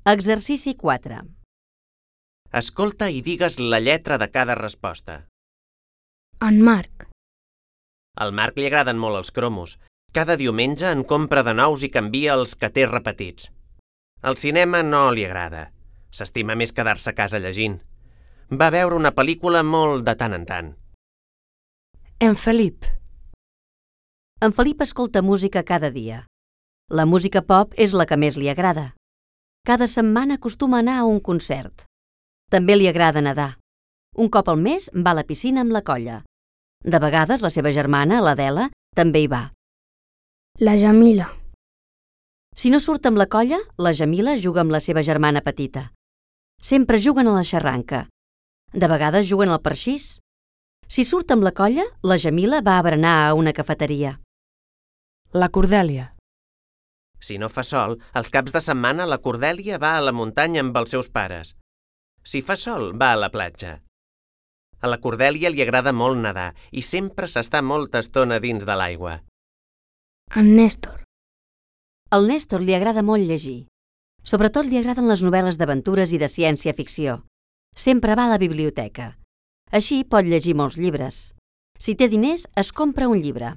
Exercici 4. Escolta i digues la lletra de cada resposta. En Marc. Al Marc li agraden molt els cromos. Cada diumenge en compra de nous i canvia els que té repetits. El cinema no li agrada. S'estima més quedar-se a casa llegint. Va veure una pel·lícula molt de tant en tant. En Felip. En Felip escolta música cada dia. La música pop és la que més li agrada. Cada setmana acostuma a anar a un concert. També li agrada nedar. Un cop al mes va a la piscina amb la colla. De vegades la seva germana, l'Adela, també hi va. La Jamila. Si no surt amb la colla, la Jamila juga amb la seva germana petita. Sempre juguen a la xarranca. De vegades juguen al parxís. Si surt amb la colla, la Jamila va a berenar a una cafeteria. La Cordèlia. Si no fa sol, els caps de setmana la Cordèlia va a la muntanya amb els seus pares. Si fa sol, va a la platja. A la Cordèlia li agrada molt nedar i sempre s'està molta estona dins de l'aigua. En Néstor. Al Néstor li agrada molt llegir. Sobretot li agraden les novel·les d'aventures i de ciència-ficció. Sempre va a la biblioteca. Així pot llegir molts llibres. Si té diners, es compra un llibre.